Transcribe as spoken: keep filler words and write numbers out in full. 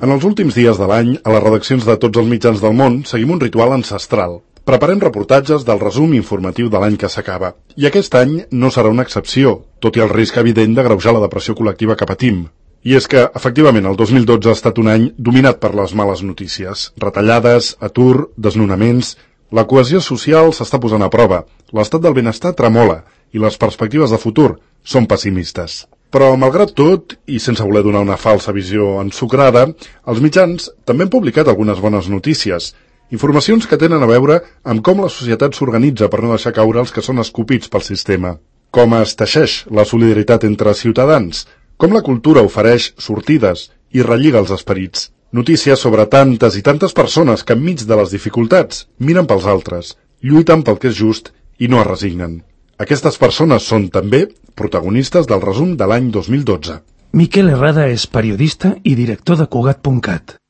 En els últims dies de l'any, a les redaccions de tots els mitjans del món, seguim un ritual ancestral. Preparem reportatges del resum informatiu de l'any que s'acaba. I aquest any no serà una excepció, tot i el risc evident d'agreujar la depressió col·lectiva que patim. I és que, efectivament, el dos mil dotze ha estat un any dominat per les males notícies. Retallades, atur, desnonaments... La cohesió social s'està posant a prova, l'estat del benestar tremola i les perspectives de futur són pessimistes. Però, malgrat tot, i sense voler donar una falsa visió ensucrada, els mitjans també han publicat algunes bones notícies, informacions que tenen a veure amb com la societat s'organitza per no deixar caure els que són escopits pel sistema, com es teixeix la solidaritat entre ciutadans, com la cultura ofereix sortides i relliga els esperits. Notícies sobre tantes i tantes persones que enmig de les dificultats miren pels altres, lluiten pel que és just i no es resignen. Aquestes persones són també protagonistes del resum de l'any dos mil dotze. Miquel Herrada és periodista i director de Cugat punt cat.